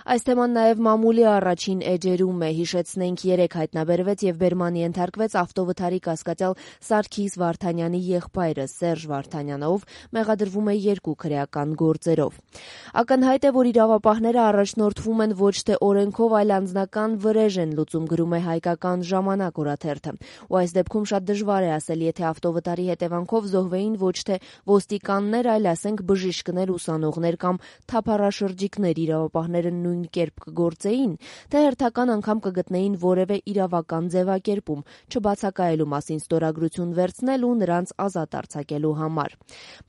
Այս թեման նաև մամուլի առաջին էջերում է, հիշեցնենք, երեկ հայտնաբերվեց եւ բերմանի ենթարկվեց ավտովթարի կասկածյալ Սարգիս Վարդանյանի եղբայրը Սերժ Վարդանյանը, ով մեղադրվում է 2 քրեական գործերով։ Ակնհայտ է, որ իրավապահները առաջնորդվում են ոչ թե օրենքով, այլ անձնական վրեժ են լուծում, գրում է Հայկական ժամանակ օրաթերթը։ Ու այս դեպքում շատ դժվար է ասել, եթե ավտովթարի հետևանքով զոհվեին ոչ թե ոստիկաններ, այլ ասենք բժիշկներ, ուսանողներ կամ թափառաշրջիկներ, իրավապահները նույն կերպ կգործեին, թե հերթական անգամ կգտնեին որևէ իրավական ձևակերպում, չբացակայելու մասին ստորագրություն վերցնել ու նրանց ազատ արձակելու համար։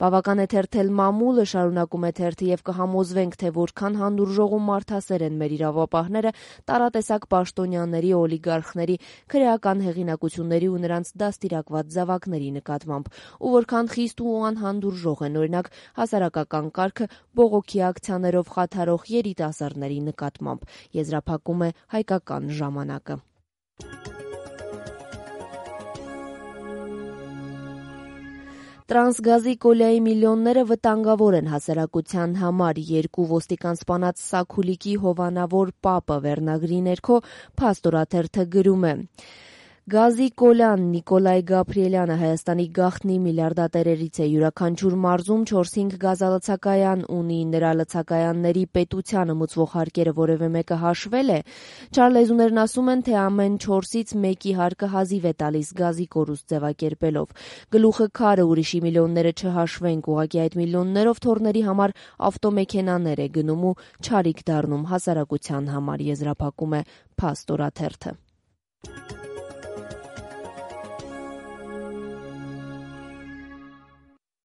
Բավական է թերթել մամուլը, շարունակում է թերթը, եւ կհամոզվենք, թե որքան հանդուրժող ու մարդասեր են մեր իրավապահները տարատեսակ պաշտոնյաների, օլիգարխների, քրեական հեղինակությունների ու նրանց դաստիարակված զավակների նկատմամբ, ու որքան խիստ ու անհանդուրժող են, օրինակ, հասարակական կարգը բողոքի ակցիաներով խաթարող երիտասարդների նկատմամբ, եզրափակում է Հայկական ժամանակը։ Տրանսգազի կոլյայի միլիոնները վտանգավոր են հասարակության համար, 2 ոստիկան սպանած Սաքուլիկի հովանավոր պապը վերնագրի ներքո Փաստորաթերթը գրում է. Գազի կոլյան Նիկոլայ Գաբրիելյանը Հայաստանի գաղտնի միլիարդատերերից է, յուրաքանչյուր մարզում 4-5 գազալցակայան ունի, նրա լցակայանների պետությանը մուծվող հարկերը որևէ մեկը հաշվել է։ Չարլեզուներն ասում են, թե ամեն 4-ից 1-ի հարկը հազիվ է տալիս գազի կորուստ ձևակերպելով։ Գլուխը քարը, ուրիշի միլիոնները չհաշվենք, ուղղակի այդ միլիոններով թորների համար ավտոմեքենաներ է գնում ու չարիք դառնում հասարակության համար, եզրափակում է Փաստորաթերթը։